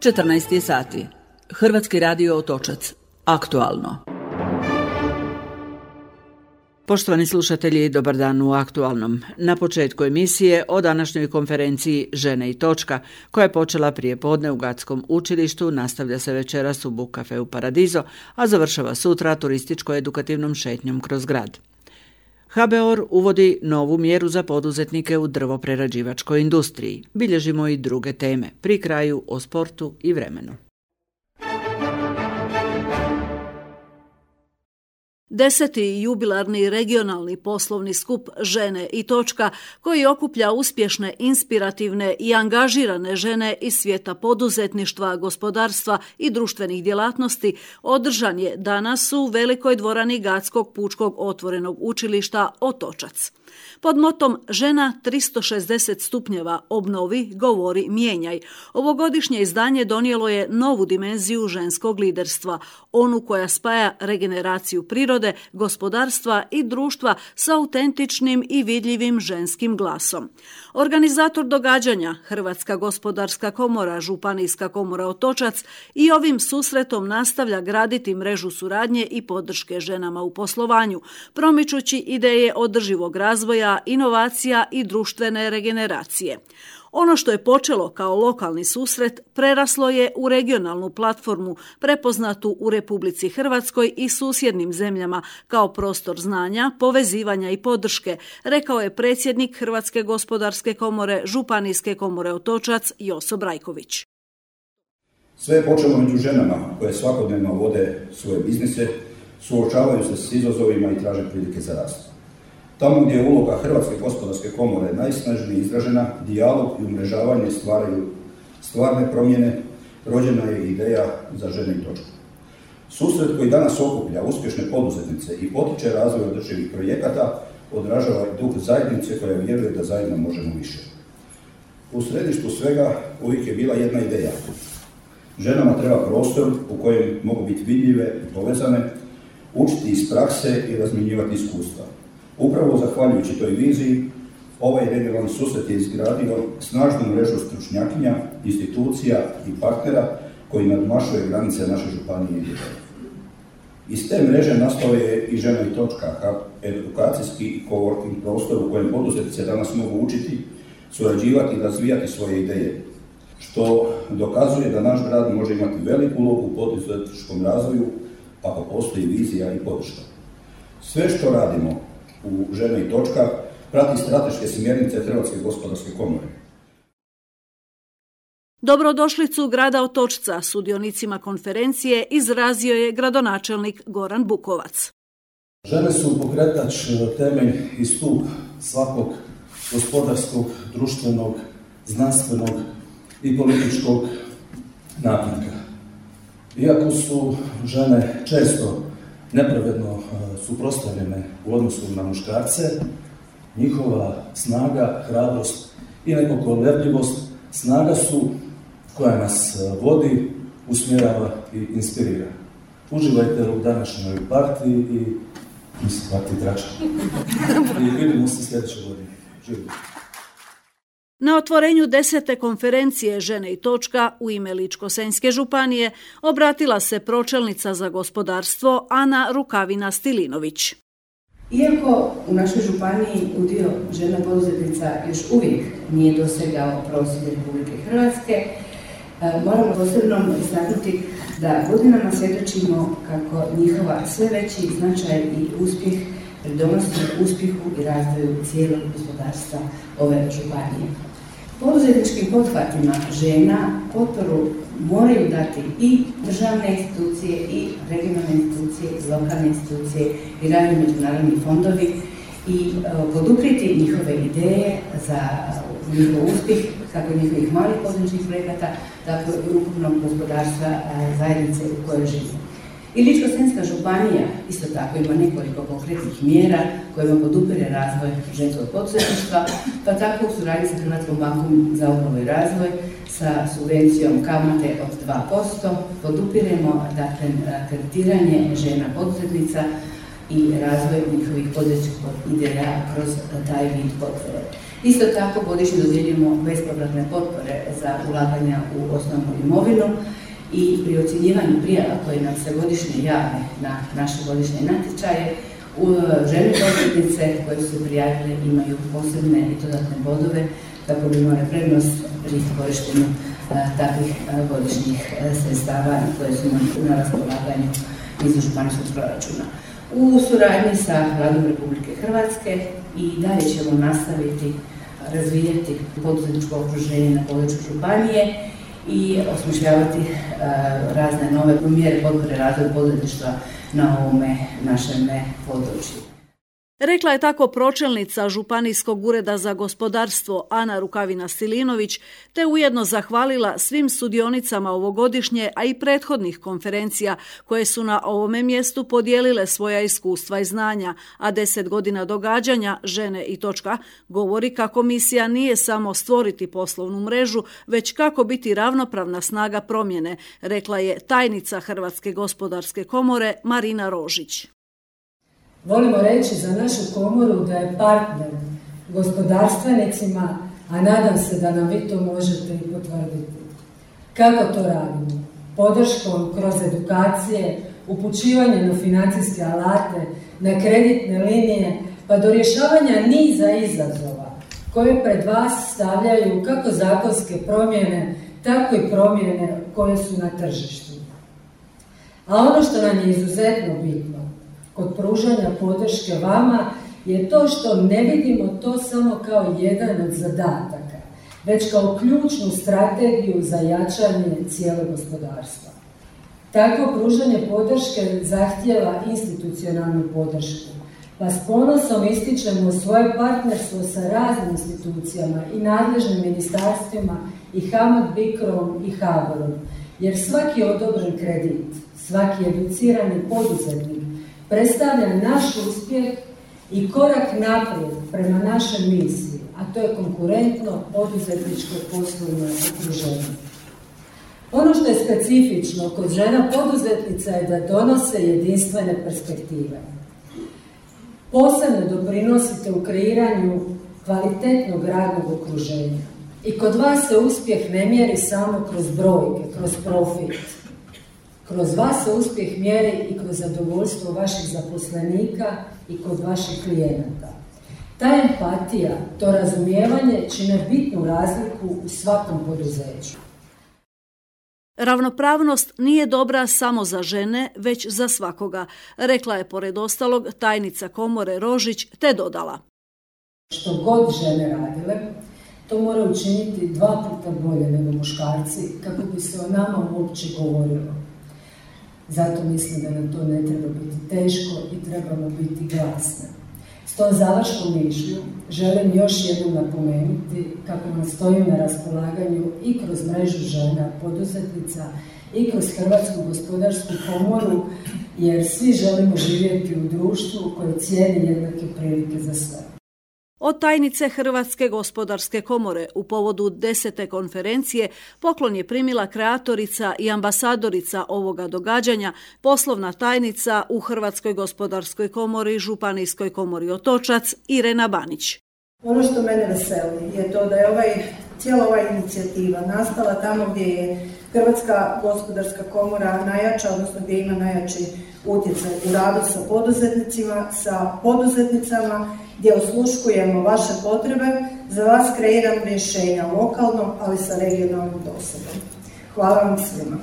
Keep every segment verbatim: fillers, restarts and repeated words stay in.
četrnaest sati. Hrvatski radio Otočac. Aktualno. Poštovani slušatelji, dobar dan u Aktualnom. Na početku emisije o današnjoj konferenciji Žene i točka, koja je počela prije podne u Gatskom učilištu, nastavlja se večeras u Book Cafeu Paradiso, a završava sutra turističko-edukativnom šetnjom kroz grad. ha be o er uvodi novu mjeru za poduzetnike u drvoprerađivačkoj industriji. Bilježimo i druge teme, pri kraju o sportu i vremenu. Deseti jubilarni regionalni poslovni skup Žene i točka, koji okuplja uspješne, inspirativne i angažirane žene iz svijeta poduzetništva, gospodarstva i društvenih djelatnosti, održan je danas u velikoj dvorani Gatskog pučkog otvorenog učilišta Otočac. Pod motom Žena tristo šezdeset stupnjeva, obnovi, govori, mijenjaj. Ovogodišnje izdanje donijelo je novu dimenziju ženskog liderstva, onu koja spaja regeneraciju prirode, gospodarstva i društva sa autentičnim i vidljivim ženskim glasom. Organizator događanja, Hrvatska gospodarska komora, Županijska komora Otočac, i ovim susretom nastavlja graditi mrežu suradnje i podrške ženama u poslovanju, promičući ideje održivog razvoja, inovacija i društvene regeneracije. Ono što je počelo kao lokalni susret preraslo je u regionalnu platformu prepoznatu u Republici Hrvatskoj i susjednim zemljama kao prostor znanja, povezivanja i podrške, rekao je predsjednik Hrvatske gospodarske komore, Županijske komore Otočac Joso Brajković. Sve je počelo među ženama koje svakodnevno vode svoje biznise, suočavaju se s izazovima i traže prilike za rast. Tamo gdje je uloga Hrvatske gospodarske komore najsnažnije izražena, dijalog i umrežavanje stvaraju stvarne promjene, rođena je ideja za Žene i točku. Susret koji danas okuplja uspješne poduzetnice i potiče razvoj održivih projekata odražava duh zajednice koja vjeruje da zajedno možemo više. U središtu svega uvijek je bila jedna ideja. Ženama treba prostor u kojem mogu biti vidljive i povezane, učiti iz prakse i razmjenjivati iskustva. Upravo zahvaljujući toj viziji, ovaj regionalni susret je izgradio snažnu mrežu stručnjakinja, institucija i partnera koji nadmašuje granice naše županije i države. Iz te mreže nastao je i Žena i točka, edukacijski i coworking prostor u kojem poduzetnice danas mogu učiti, surađivati i razvijati svoje ideje, što dokazuje da naš grad može imati veliku ulogu u poduzetničkom razvoju ako postoji vizija i podrška. Sve što radimo u Žene i točka prati strateške smjernice Hrvatske gospodarske komore. Dobrodošlicu grada Otočca sudionicima konferencije izrazio je gradonačelnik Goran Bukovac. Žene su pokretač, temelj i stup svakog gospodarskog, društvenog, znanstvenog i političkog napretka. Iako su žene često nepravedno suprotstavljene u odnosu na muškarce, njihova snaga, hrabrost i nepokolebljivost snaga su koja nas vodi, usmjerava i inspirira. Uživajte u današnjoj partiji i mislim partiji Drača. I vidimo se sljedeće godine. Živimo. Na otvorenju desete konferencije Žene i točka u ime Ličko-senjske županije obratila se pročelnica za gospodarstvo Ana Rukavina-Stilinović. Iako u našoj županiji udio žena poduzetnica još uvijek nije dosegao prosjek Republike Hrvatske, moramo posebno istaknuti da godinama svjedočimo kako njihova sve veći značaj i uspjeh pridonosi uspjehu i razvoju cijelog gospodarstva ove županije. Poduzetničkim pothvatima žena potporu moraju dati i državne institucije, i regionalne institucije, i lokalne institucije, i razni međunarodni fondovi i poduprijeti njihove ideje za njihov uspjeh, kako njihovih malih poduzetničkih projekata, tako i ukupnog gospodarstva zajednice u kojoj živimo. I Ličko-senjska županija isto tako ima nekoliko konkretnih mjera kojima podupire razvoj ženskog poduzetništva, pa tako u suradnji sa Hrvatskom bankom za obnovu i razvoj sa subvencijom kamate od dva posto podupiremo dakle, kreditiranje žena poduzetnica i razvoj njihovih poduzetničkih ideja kroz taj vid potpore. Isto tako godišnje dodjeljujemo bespovratne potpore za ulaganja u osnovnu imovinu i pri ocjenjivanju prijava koje nam se godišnje jave na naše godišnje natječaje, žene poduzetnice koje su se prijavile imaju posebne i dodatne bodove kako bi imale prednost pri korištenju takvih godišnjih sredstava koje su na raspolaganju iz županijskog proračuna. U suradnji sa Vladom Republike Hrvatske i dalje ćemo nastaviti razvijati poduzetničko okruženje na području županije i osmišljavati razne nove mjere potpore razvoju poduzetništva na ovome našem području. Rekla je tako pročelnica Županijskog ureda za gospodarstvo Ana Rukavina-Silinović, te ujedno zahvalila svim sudionicama ovogodišnje, a i prethodnih konferencija koje su na ovome mjestu podijelile svoja iskustva i znanja, a deset godina događanja Žene i točka govori kako misija nije samo stvoriti poslovnu mrežu, već kako biti ravnopravna snaga promjene, rekla je tajnica Hrvatske gospodarske komore Marina Rožić. Volimo reći za našu komoru da je partner gospodarstvenicima, a nadam se da nam vi to možete i potvrditi. Kako to radimo? Podrškom kroz edukacije, upućivanje na financijske alate, na kreditne linije, pa do rješavanja niza izazova koje pred vas stavljaju kako zakonske promjene, tako i promjene koje su na tržištu. A ono što nam je izuzetno bitno kod pružanja podrške vama je to što ne vidimo to samo kao jedan od zadataka, već kao ključnu strategiju za jačanje cijelog gospodarstva. Takvo pružanje podrške zahtijeva institucionalnu podršku, pa s ponosom ističemo svoje partnerstvo sa raznim institucijama i nadležnim ministarstvima i HAMAG BICRO-om i HABOR-om, jer svaki odobren kredit, svaki educirani poduzetnik predstavlja naš uspjeh i korak naprijed prema našoj misiji, a to je konkurentno poduzetničko poslovno okruženje. Ono što je specifično kod žena poduzetnica je da donose jedinstvene perspektive. Posebno doprinosite u kreiranju kvalitetnog radnog okruženja. I kod vas se uspjeh ne mjeri samo kroz brojke, kroz profit. Kroz vas se uspjeh mjeri i kroz zadovoljstvo vaših zaposlenika i kod vaših klijenata. Ta empatija, to razumijevanje čine bitnu razliku u svakom poduzeću. Ravnopravnost nije dobra samo za žene, već za svakoga, rekla je pored ostalog tajnica komore Rožić, te dodala. Što god žene radile, to mora učiniti dva puta bolje nego muškarci kako bi se o nama uopće govorilo. Zato mislim da nam to ne treba biti teško i trebamo biti glasne. S tom završnom mišlju želim još jednom napomenuti kako nam stojim na raspolaganju i kroz mrežu žena poduzetnica i kroz Hrvatsku gospodarsku komoru, jer svi želimo živjeti u društvu koje cijeni jednake prilike za sve. Od tajnice Hrvatske gospodarske komore u povodu desete konferencije poklon je primila kreatorica i ambasadorica ovoga događanja, poslovna tajnica u Hrvatskoj gospodarskoj komori, Županijskoj komori Otočac, Irena Banić. Ono što mene veseli je to da je ovaj, cijela ova inicijativa nastala tamo gdje je Hrvatska gospodarska komora najjača, odnosno gdje ima najjači utjecaj u radu sa poduzetnicima, sa poduzetnicama, gdje osluškujemo vaše potrebe, za vas kreiram rješenja lokalnom, ali sa regionalnim dosadom. Hvala vam svima.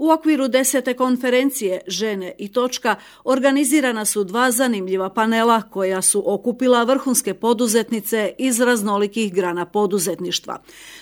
U okviru desete konferencije Žene i točka organizirana su dva zanimljiva panela koja su okupila vrhunske poduzetnice iz raznolikih grana poduzetništva.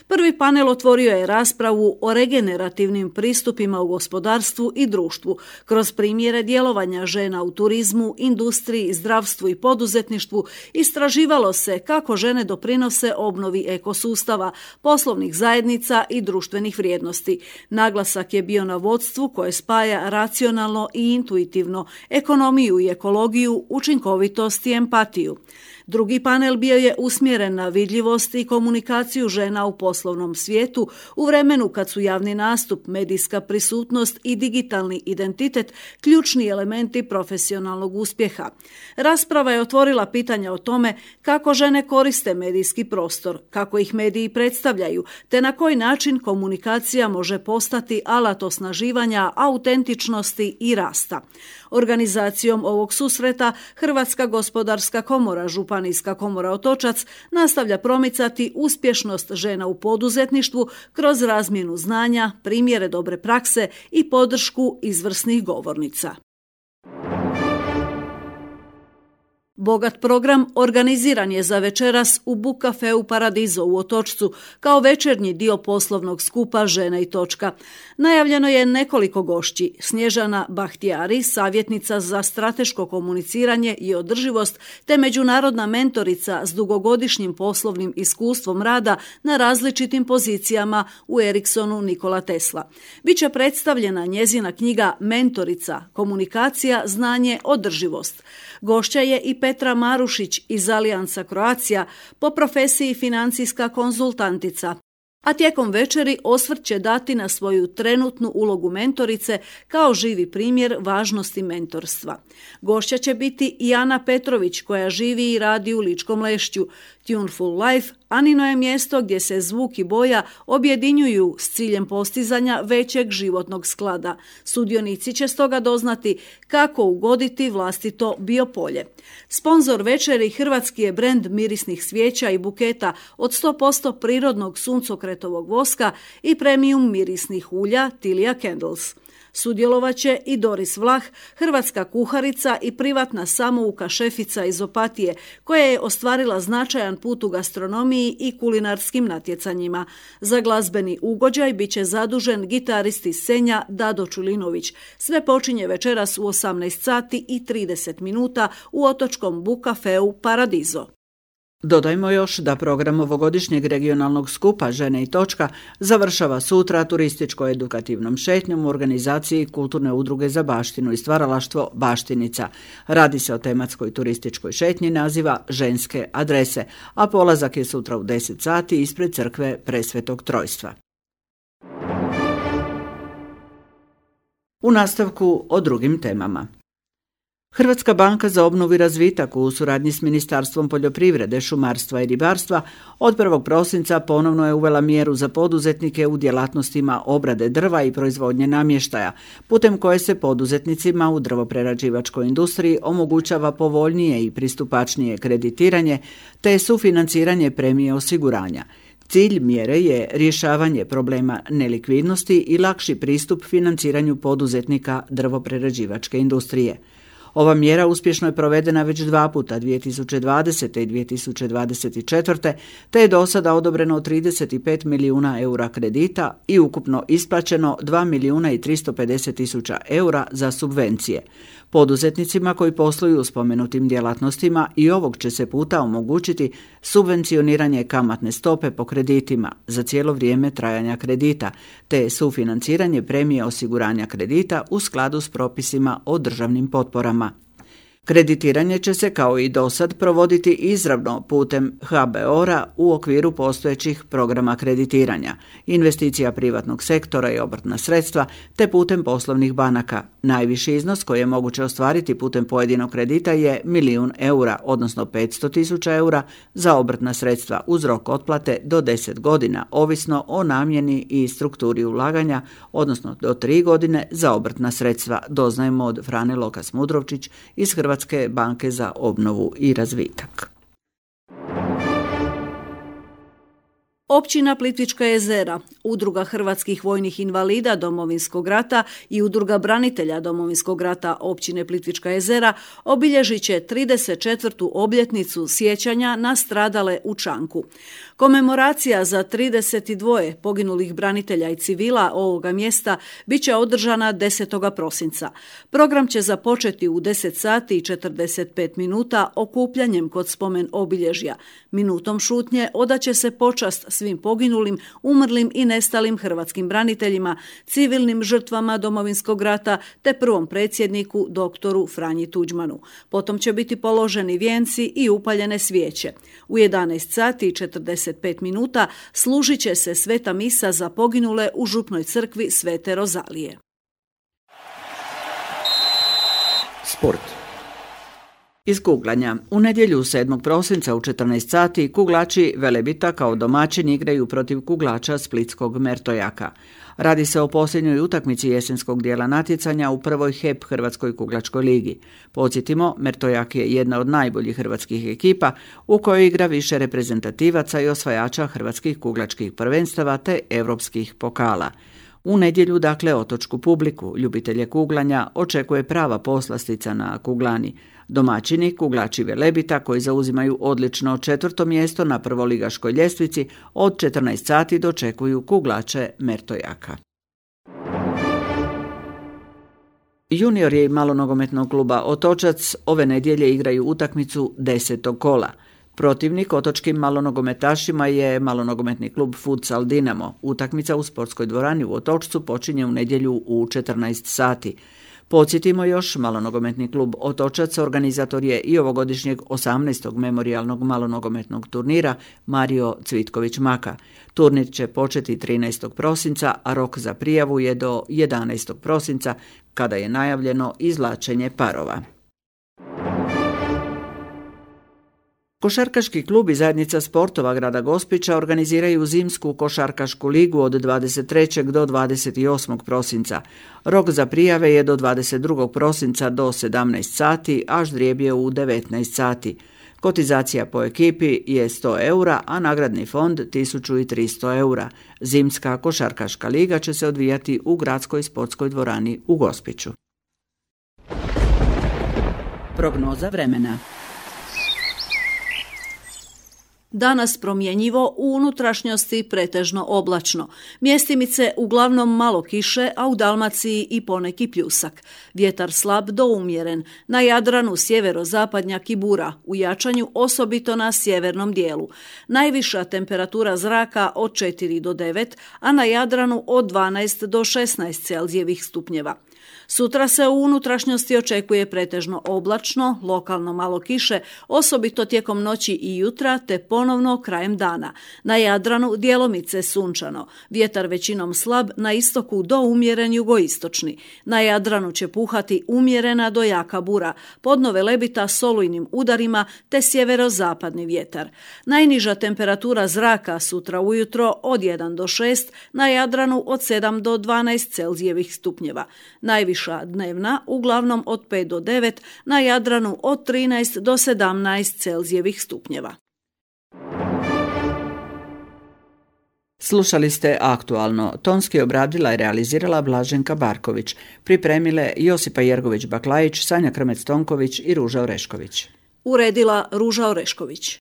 Prvi panel otvorio je raspravu o regenerativnim pristupima u gospodarstvu i društvu kroz primjere djelovanja žena u turizmu, industriji, zdravstvu i poduzetništvu. Istraživalo se kako žene doprinose obnovi ekosustava, poslovnih zajednica i društvenih vrijednosti. Naglasak je bio na vodstvu koje spaja racionalno i intuitivno, ekonomiju i ekologiju, učinkovitost i empatiju. Drugi panel bio je usmjeren na vidljivost i komunikaciju žena u poslovnom svijetu u vremenu kad su javni nastup, medijska prisutnost i digitalni identitet ključni elementi profesionalnog uspjeha. Rasprava je otvorila pitanja o tome kako žene koriste medijski prostor, kako ih mediji predstavljaju, te na koji način komunikacija može postati alat osnaživanja, autentičnosti i rasta. Organizacijom ovog susreta Hrvatska gospodarska komora, Županijska komora Otočac nastavlja promicati uspješnost žena u poduzetništvu kroz razmjenu znanja, primjere dobre prakse i podršku izvrsnih govornica. Bogat program organiziran je za večeras u Book Cafeu Paradiso u Otočcu kao večernji dio poslovnog skupa Žene i točka. Najavljeno je nekoliko gošći. Snježana Bahtijari, savjetnica za strateško komuniciranje i održivost, te međunarodna mentorica s dugogodišnjim poslovnim iskustvom rada na različitim pozicijama u Ericssonu Nikola Tesla. Biće predstavljena njezina knjiga Mentorica, komunikacija, znanje, održivost. Gošća je i Petra Marušić iz Alijansa Croatia, po profesiji financijska konzultantica. A tijekom večeri osvrt će dati na svoju trenutnu ulogu mentorice kao živi primjer važnosti mentorstva. Gošća će biti i Ana Petrović koja živi i radi u Ličkom Lešću. Tuneful Life, Anino je mjesto gdje se zvuk i boja objedinjuju s ciljem postizanja većeg životnog sklada. Sudionici će stoga doznati kako ugoditi vlastito biopolje. Sponzor večeri hrvatski je brend mirisnih svijeća i buketa od sto posto prirodnog suncokretovog voska i premium mirisnih ulja Tilia Candles. Sudjelovaće i Doris Vlah, hrvatska kuharica i privatna samouka šefica iz Opatije, koja je ostvarila značajan put u gastronomiji i kulinarskim natjecanjima. Za glazbeni ugođaj bit će zadužen gitarist iz Senja Dado Čulinović. Sve počinje večeras u osamnaest sati i trideset minuta u otočkom Book Cafeu Paradiso. Dodajmo još da program ovogodišnjeg regionalnog skupa Žene i točka završava sutra turističko-edukativnom šetnjom u organizaciji Kulturne udruge za baštinu i stvaralaštvo Baštinica. Radi se o tematskoj turističkoj šetnji naziva Ženske adrese, a polazak je sutra u deset sati ispred crkve Presvetog Trojstva. U nastavku o drugim temama. Hrvatska banka za obnovu i razvitak u suradnji s Ministarstvom poljoprivrede, šumarstva i ribarstva od prvog prosinca ponovno je uvela mjeru za poduzetnike u djelatnostima obrade drva i proizvodnje namještaja, putem koje se poduzetnicima u drvoprerađivačkoj industriji omogućava povoljnije i pristupačnije kreditiranje te sufinanciranje premije osiguranja. Cilj mjere je rješavanje problema nelikvidnosti i lakši pristup financiranju poduzetnika drvoprerađivačke industrije. Ova mjera uspješno je provedena već dva puta, dvije tisuće dvadesete i dvije tisuće dvadeset četvrte, te je do sada odobreno trideset pet milijuna eura kredita i ukupno isplaćeno dva milijuna i tristo pedeset tisuća eura za subvencije. Poduzetnicima koji posluju u spomenutim djelatnostima i ovog će se puta omogućiti subvencioniranje kamatne stope po kreditima za cijelo vrijeme trajanja kredita, te sufinanciranje premije osiguranja kredita u skladu s propisima o državnim potporama. Kreditiranje će se kao i dosad provoditi izravno putem ha be o ra u okviru postojećih programa kreditiranja, investicija privatnog sektora i obrtna sredstva, te putem poslovnih banaka. Najviši iznos koji je moguće ostvariti putem pojedinog kredita je milijun eura, odnosno petsto tisuća eura za obrtna sredstva uz rok otplate do deset godina, ovisno o namjeni i strukturi ulaganja, odnosno do tri godine za obrtna sredstva, doznajemo od Frane Lokas Mudrovčić iz Hrvatske Hrvatske banke za obnovu i razvitak. Općina Plitvička jezera, Udruga hrvatskih vojnih invalida Domovinskog rata i Udruga branitelja Domovinskog rata općine Plitvička jezera obilježit će trideset četvrtu obljetnicu sjećanja na stradale u Čanku. Komemoracija za trideset dva poginulih branitelja i civila ovoga mjesta bit će održana desetog prosinca. Program će započeti u deset sati i četrdeset pet minuta okupljanjem kod spomen obilježja. Minutom šutnje odaće se počast svim poginulim, umrlim i nestalim hrvatskim braniteljima, civilnim žrtvama Domovinskog rata te prvom predsjedniku doktoru Franji Tuđmanu. Potom će biti položeni vijenci i upaljene svijeće. U jedanaest sati i četrdeset pet minuta služit će se sveta misa za poginule u župnoj crkvi Svete Rozalije. Sport. Iz kuglanja. U nedjelju sedmog prosinca u četrnaest sati kuglači Velebita kao domaćini igraju protiv kuglača splitskog Mertojaka. Radi se o posljednjoj utakmici jesenskog dijela natjecanja u prvoj H E P Hrvatskoj kuglačkoj ligi. Podsjetimo, Mertojak je jedna od najboljih hrvatskih ekipa u kojoj igra više reprezentativaca i osvajača hrvatskih kuglačkih prvenstava te europskih pokala. U nedjelju, dakle, otočku publiku, ljubitelje kuglanja, očekuje prava poslastica na kuglani. Domaćini, kuglači Velebita, koji zauzimaju odlično četvrto mjesto na prvoligaškoj ljestvici, od četrnaest sati dočekuju kuglače Mertojaka. Juniori malonogometnog kluba Otočac ove nedjelje igraju utakmicu desetog kola. Protivnik otočkim malonogometašima je malonogometni klub Futsal Dinamo. Utakmica u sportskoj dvorani u Otočcu počinje u nedjelju u četrnaest sati. Podsjetimo još, malonogometni klub Otočac organizator je i ovogodišnjeg osamnaestog memorijalnog malonogometnog turnira Mario Cvitković Maka. Turnir će početi trinaestog prosinca, a rok za prijavu je do jedanaestog prosinca, kada je najavljeno izvlačenje parova. Košarkaški klub i zajednica sportova grada Gospića organiziraju zimsku košarkašku ligu od dvadeset trećeg do dvadeset osmog prosinca. Rok za prijave je do dvadeset drugog prosinca do sedamnaest sati, a ždrijeb je u devetnaest sati. Kotizacija po ekipi je sto eura, a nagradni fond tisuću tristo eura. Zimska košarkaška liga će se odvijati u gradskoj sportskoj dvorani u Gospiću. Prognoza vremena. Danas promjenjivo, u unutrašnjosti pretežno oblačno. Mjestimice uglavnom malo kiše, a u Dalmaciji i poneki pljusak. Vjetar slab do umjeren. Na Jadranu sjeverozapadnjak i bura, u jačanju osobito na sjevernom dijelu. Najviša temperatura zraka od četiri do devet, a na Jadranu od dvanaest do šesnaest Celzijevih stupnjeva. Sutra se u unutrašnjosti očekuje pretežno oblačno, lokalno malo kiše, osobito tijekom noći i jutra, te ponovno krajem dana. Na Jadranu djelomice sunčano, vjetar većinom slab, na istoku do umjeren jugoistočni. Na Jadranu će puhati umjerena do jaka bura, podno Velebita s olujnim udarima, te sjeverozapadni vjetar. Najniža temperatura zraka sutra ujutro od jedan do šest, na Jadranu od sedam do dvanaest Celzijevih stupnjeva. Najviša dnevna uglavnom od pet do devet, na Jadranu od trinaest do sedamnaest Celzijevih stupnjeva. Slušali ste Aktualno. Tonski obradila i realizirala Blaženka Barković. Pripremile Josipa Jergović-Baklajić, Sanja Krmec-Tonković i Ruža Orešković. Uredila Ruža Orešković.